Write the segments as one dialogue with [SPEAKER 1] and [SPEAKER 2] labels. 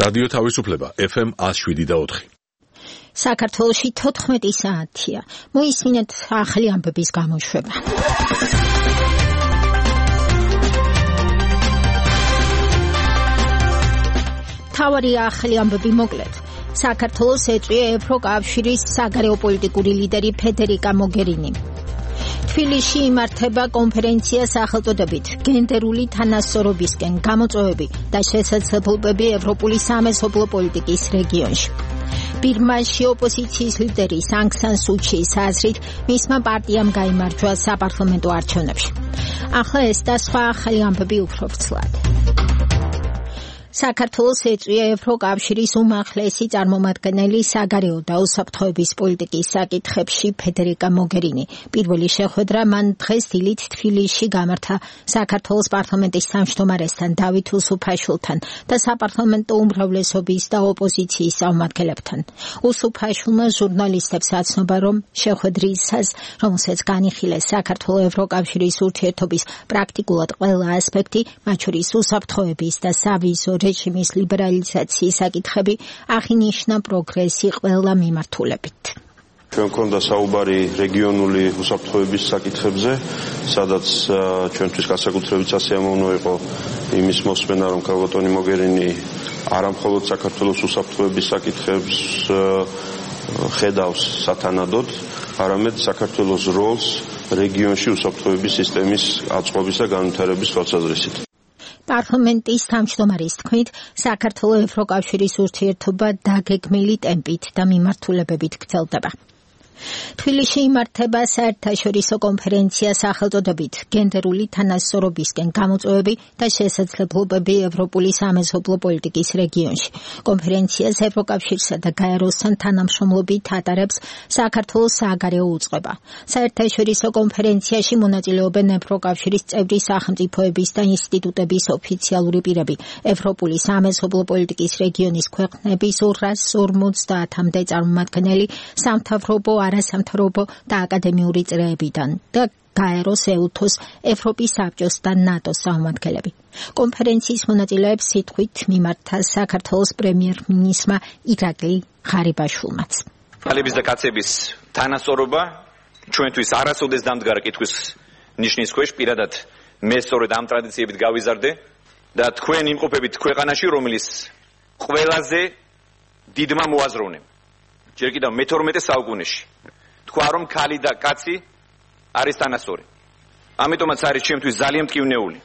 [SPEAKER 1] რადიო თავისუფლება FM 107.4.
[SPEAKER 2] საქართველოში 14 საათია. მოისმინეთ ახალი ამბების გამოშვება. თავარი ახალი ამბები მოკლედ. საქართველოს ეწვია ევროკავშირის საგარეო პოლიტიკური ლიდერი ფედერიკა მოგერინი. თბილისში იმართება კონფერენცია სახელწოდებით გენდერული თანასწორობისკენ გამოწვევები და შესაძლებლობები ევროპული სამეზობლო პოლიტიკის რეგიონში. ბირმაში ოპოზიციის ლიდერი სანგ სან სუ ჩის აზრით მისმა პარტიამ გაიმარჯვა საპარლამენტო არჩევნებში. ახლა ეს და სხვა ახალი ამბები უფრო ვრცლად. საქართველოს ეწვია ევროკავშირის უმაღლესი წარმომადგენელი საგარეო და უსაფრთხოების პოლიტიკის საკითხებში ფედერიკა მოგერინი. პირველი შეხვედრა მან დღეს დილით თბილისში გამართა საქართველოს პარლამენტის თავმჯდომარესთან დავით უსუფაშვილთან და საპარლამენტო უმრავლესობის და ოპოზიციის წარმომადგენლებთან. უსუფაშვილმა ჟურნალისტებს აცნობა, რომ შეხვედრისას, რომელსაც განიხილეს საქართველოს ევროკავშირის ურთიერთობის პრაქტიკულად ყველა ასპექტი, მათ შორის უსაფრთხოების და სავიზო რეჟიმის ლიბერალიზაციის საკითხები აღინიშნა პროგრესი ყველა მიმართულებით.
[SPEAKER 3] ჩვენ გვქონდა საუბარი რეგიონული უსაფრთხოების საკითხებზე, სადაც ჩვენთვის განსაკუთრებით სასიამოვნო იყო იმის მოსმენა, რომ ქალბატონი მოგერინი არა მხოლოდ საქართველოს უსაფრთხოების საკითხებს ხედავს სათანადოდ, არამედ საქართველოს როლს რეგიონში უსაფრთხოების სისტემის აწყობის და განვითარების თვალსაზრისით.
[SPEAKER 2] პარლამენტის თავმჯდომარის თქმით, საქართველოს ევროკავშირის ურთიერთობა დაგეგმილი ტემპით და მიმართულებებით გრძელდება. თბილისში იმართება საერთაშორისო კონფერენცია სახელწოდებით გენდერული თანასწორობისკენ გამოწვევები და შესაძლებლობები ევროპული სამეზობლო პოლიტიკის რეგიონში. კონფერენციას ევროკავშირსა და გაეროსთან თანამშრომლობით ატარებს საქართველოს საგარეო უწყება. საერთაშორისო კონფერენციაში მონაწილეობენ ევროკავშირის წევრი სახელმწიფოების და ინსტიტუტების ოფიციალური პირები, ევროპული სამეზობლო პოლიტიკის რეგიონის ქვეყნების 250-მდე წარმომადგენელი, სამთავრობო არასამთავრობო და აკადემიური წრეებიდან და გაეროს, ეუთოს, ევროპის საბჭოს და ნატოს წარმომადგენლები. კონფერენციის მონაწილეებს სიტყვით მიმართა საქართველოს პრემიერ-მინისტრმა ირაკლი ღარიბაშვილმაც.
[SPEAKER 4] ქალების და კაცების თანასწორობა ჩვენთვის არასოდეს დამდგარ კითხვის ნიშნის ქვეშ, პირადად მე სწორედ ამ ტრადიციებით გავიზარდე და თქვენ იმყოფებით ქვეყანაში, რომელიც ყველაზე დიდმა მოაზროვნემ. ჯერ კიდევ მე-12 საუკუნეში თქვა, რომ ქალი და კაცი არის თანასწორი. ამიტომაც არის ჩემთვის ძალიან მტკივნეული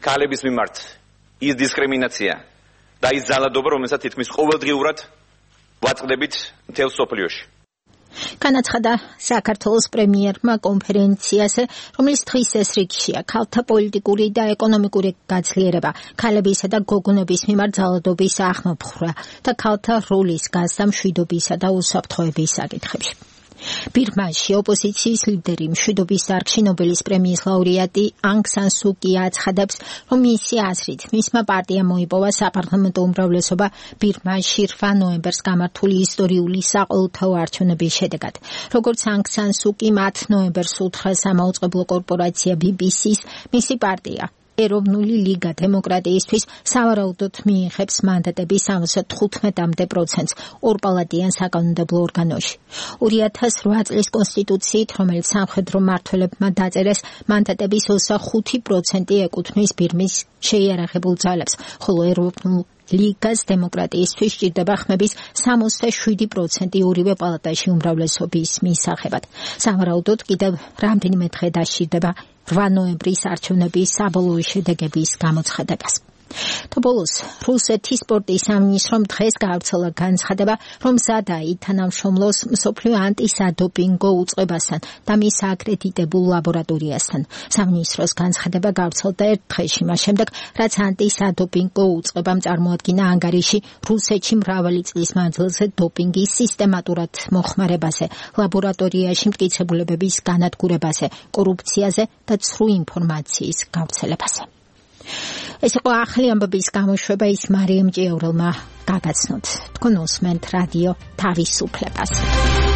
[SPEAKER 4] ქალების მიმართ ის დისკრიმინაცია და ის ძალადობა, რომელსაც თითქმის ყოველდღიურად ვაწყდებით მთელ სოფლიოში.
[SPEAKER 2] განაცხადა საქართველოს პრემიერმა კონფერენციაზე, რომელიც დღის ეს რიგშია ქალთა პოლიტიკური და ეკონომიკური გაძლიერება, ქალებისა და გოგონების მიმართ ძალადობის აღმოფხვრა და ქალთა როლის გაზრდა მშვიდობისა და უსაფრთხოების საკითხებში. ბირმაში ოპოზიციის ლიდერი, მშვიდობის დარგში ნობელის პრემიის ლაურეატი ანგ სან სუ კი აცხადებს, რომ მისი აზრით მისმა პარტიამ მოიპოვა საპარლამენტო უმრავლესობა ბირმაში 8 ნოემბერს გამართული ისტორიული საყოველთაო არჩევნების შედეგად. როგორც ანგ სან სუ კი 10 ნოემბერს უთხრა სამაუწყებლო კორპორაცია BBC-ს, მისი პარტია ეროვნული ლიგა დემოკრატიისთვის სავარაუდოდ მიიღებს მანდატების 75%-ს ორპალატიან საკანონმდებლო ორგანოში. 2008 წლის კონსტიტუციით, რომელიც სამხედრო მმართველებმა დაწერეს, მანდატების 25% ეკუთვნის ბირმის შეიარაღებულ ძალებს, ხოლო ეროვნულ ლიგას დემოკრატიისთვის სჭირდება ხმების 67% ორივე პალატაში უმრავლესობის მისაღებად. სავარაუდოდ კიდევ რამდენიმე დღე დასჭირდება 8 ნოემბრის არჩევნების საბოლოო შედეგების გამოცხადებას. თბილისის რუსეთის სპორტის სამინისტრომ დღეს გაავრცელა განცხადება, რომ მზადა ითანამშრომლოს მსოფლიო ანტისადოპინგო უწყებასთან და მის აკრედიტებულ ლაბორატორიასთან. სამინისტროს განცხადება გავრცელდა ერთ დღეში, მას შემდეგ, რაც ანტისადოპინგო უწყებამ წარმოადგინა ანგარიში რუსეთში მრავალი წლის მანძილზე დოპინგის სისტემატურად მოხმარებაზე, ლაბორატორიაში მტკიცებულებების განადგურებაზე, კორუფციაზე და ცრუ ინფორმაციის გავრცელებაზე. ეს იყო ახალი ამბების გამოშვება, ის მარიამ ჭიაურელმა გაგაცნოთ. თქვენ უსმენთ რადიო თავისუფლებას.